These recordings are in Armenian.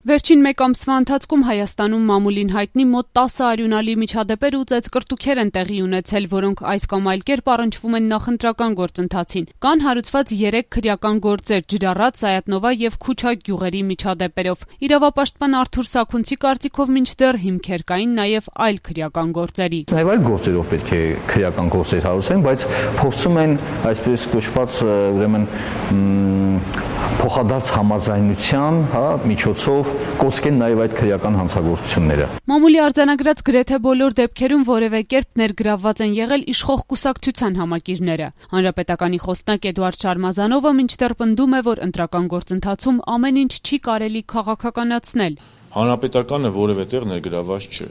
Վերջին մեկ ամսվա ընթացքում Հայաստանում մամուլին հայտնի մոտ 10 արյունալի միջադեպեր ու ծեծկռտուքեր են տեղի ունեցել, որոնք այս կամ այլ կերպ առնչվում են նախընտրական գործընթացին։ Կան հարուցված 3 քրեական գործեր՝ Ջրառատ, Սայաթնովա եւ Քուչակ գյուղերի միջադեպերով։ Իրավապաշտպան Արթուր Սաքունցի կարծիքով մինչդեռ հիմքեր կային նաեւ այլ քրեական գործերի։ Նաեւ այլ գործերով պետք է քրեական գործեր հարուցեն, բայց փորձում են այսպես կոչված ուրեմն փոխադարձ համաձայնության միջոցով կոծկեն նաև այդ քրեական հանցագործությունները։ Մամուլի արձանագրած գրեթե բոլոր դեպքերում որևէ կերպ ներգրավված են եղել իշխող կուսակցության համակիրները։ Հանրապետականի խոսնակ Էդուարդ Շարմազանովը մինչդեռ պնդում է, որ ընտրական գործընթացում ամեն ինչ չի կարելի քաղաքականացնել։ Հանրապետականը որևէ տեղ ներգրավված չէ։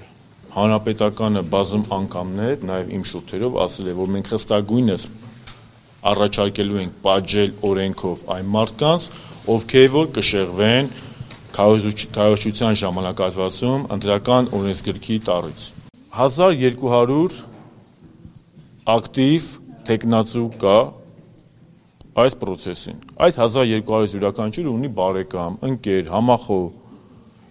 Հանրապետականը բազում անգամներ, նաև իմ շուրթերով ասել է, որ մենք խստագույնս առաջարկելու ենք պատժել օրենքով այն մարդկանց, ովքեր որ կշեղվեն քարոզչության ժամանակահատվածում ընտրական օրենսգրքի տառից։ 1200 ակտիվ տեխնացու կա այս process-ին։ Այդ 1200 յուրաքանչյուրը ունի բարեկամ, ընկեր, համախոհ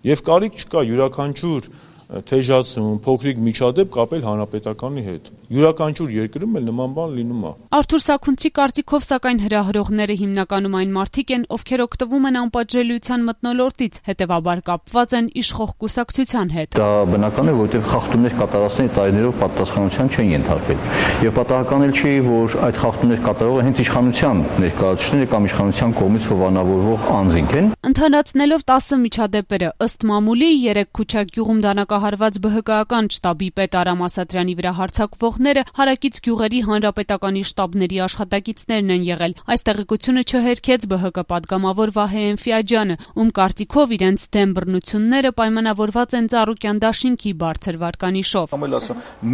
եւ կարիք չկա յուրաքանչյուր թեժացում, փոքրիկ միջադեպ կապել հանրապետականի հետ։ Յուրաքանչյուր երկրում էլ նման բան լինում է։ Արթուր Սաքունցի կարծիքով սակայն հրահրողները հիմնականում այն մարդիկ են, ովքեր օգտվում են անպատժելիության մթնոլորտից, հետևաբար կապված են իշխող կուսակցության հետ։ Դա բնական է, որովհետև խախտումներ կատարածների տարիներով պատասխանատվության չեն ենթարկվել։ Եվ պատահական էլ չի, որ այդ խախտումներ կատարողը հենց իշխանության ներկայացուցիչները կամ իշխանության կողմից հովանավորվող անձինք են։ Ընդհանրացնելով 10 միջադեպերը, ըստ մամուլի 3 Քուչակ գյուղում դանակահարված ԲՀԿ-ական շտաբի պետ Արամ Ասատրյանի վրա հարձակվողները հարակից գյուղերի հանրապետականի շտաբների աշխատակիցներն են եղել։ Այս տեղեկությունը չհերքեց ԲՀԿ պատգամավոր Վահե Էնֆիաջյանը, ում կարծիքով իրենց դեմ բռնությունները պայմանավորված են Ծառուկյան դաշինքի բարձր վարկանիշով։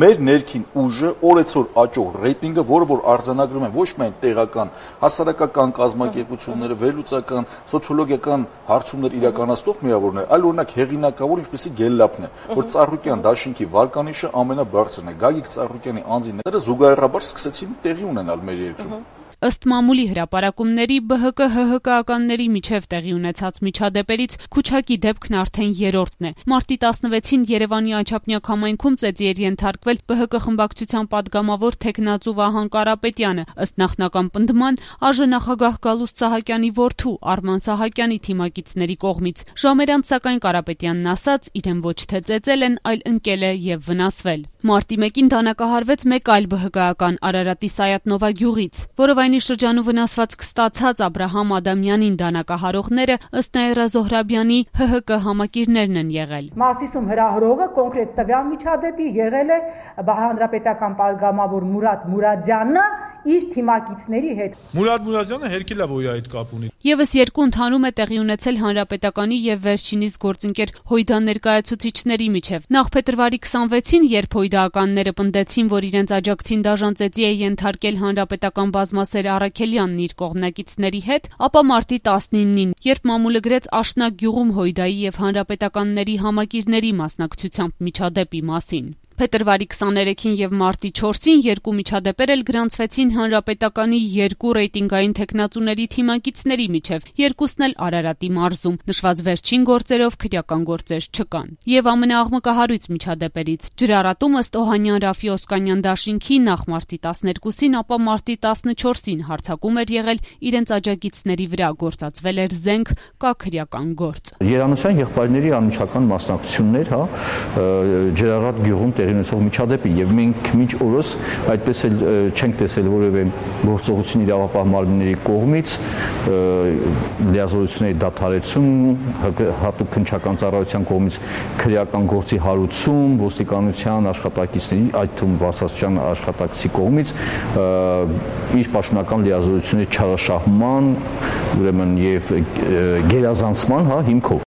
Մեր ներքին ուժը օրեցօր աճող ռեյտինգը, որը որ արձանագրում են ոչ միայն տեղական, հասարակական կազմակերպությունները, վերլուծական, սոցիոլոգիական հարցումներ իրականացնող միավորներ, այլ օրինակ հեղինակավոր ինչպեսի Գելլապն է, որ Ծառուկյան դաշինքի վարկանիշը ամենաբարձրն է։ Գագիկ Ծառուկյանի անձինները զուգահեռաբար սկսեցին տեղի ունենալ մեր երկրում։ Ըստ մամուլի հրապարակումների ԲՀԿ-ՀՀԿ-ականների միջև տեղի ունեցած միջադեպերից Քուչակի դեպքն արդեն երրորդն է։ Մարտի 16-ին Երևանի Աչափնյակ համայնքում ծեծի էր ենթարկվել ԲՀԿ խմբակցության падգամավոր թեկնածու Վահան Կարապետյանը, ըստ նախնական պնդման ԱԺ նախագահ Գալուստ Սահակյանի որդու Արման Սահակյանի թիմակիցների կողմից։ Ժամեր անց սակայն Կարապետյանն ասաց, իրեն ոչ թե ծեծել են, այլ ընկել է եւ վնասվել։ Մարտի 1-ին դանակահարվեց մեկ այլ ԲՀԿ-ական Արարատի Սայաթնովա գյուղից, որով շրջանու վնասվածք ստացած Աբրահամ Ադամյանին դանակահարողները ըստ Նաիրա Զոհրաբյանի ՀՀԿ համակիրներն են եղել։ Մասիսում հրահրողը կոնկրետ տվյալ միջադեպի եղել է հանրապետական падգամավոր Մուրադ Մուրադյանը իր թիմակիցների հետ։ Մուրադ Մուրադյանը հերքել է, որ իր այդ կապ ունի։ Եվս երկու ընդհանում է տեղի ունեցել հանրապետականի եւ վերջինիս գործընկեր Հույդա ներկայացուցիչների միջև։ Նախ փետրվարի 26-ին, երբ հույդաականները պնդեցին, որ իրենց աջակցին դաժան ծեծի է ենթարկել հանրապետական բազմասեր Առաքելյանն իր կողմնակիցների հետ, ապա մարտի 19-ին, երբ մամուլը գրեց Աշնակ գյուղում Հույդայի եւ հանրապետականների համակիրների մասնակցությամբ միջադեպի մասին։ Փետրվարի 23-ին եւ մարտի 4-ին երկու միջադեպեր էլ գրանցվեցին հանրապետականի երկու ռեյտինգային թեկնածուների թիմակիցների միջև, երկուսն էլ Արարատի մարզում։ Նշված վերջին գործերով քրեական գործեր չկան։ Եվ ամենաաղմկահարույց միջադեպերից Ջրառատում ըստ Օհանյան Ռաֆի Օսկանյան դաշինքի նախ մարտի 12-ին, ապա մարտի 14-ին հարձակում էր եղել իրենց աջակիցների վրա, գործածվել էր զենք, կա քրեական գործ։ Երանոցյան եղբայրների անմիջական մասնակցություններ, Ջրառատ գյուղում տեղի ունեցող միջադեպի եւ մենք մինչ օրս այդպես էլ չենք տեսել որևէ գործողություն իրավապահ մարմինների կողմից լիազորությունների դադարեցում, հատուկ քննչական ծառայության կողմից քրեական գործի հարուցում, ոստիկանության աշխատակիցների, այդ թվում բարձրաստիճան աշխատակցի կողմից իր պաշտոնական լիազորությունների չարաշահման, ուրեմն եւ գերազանցման հիմքով։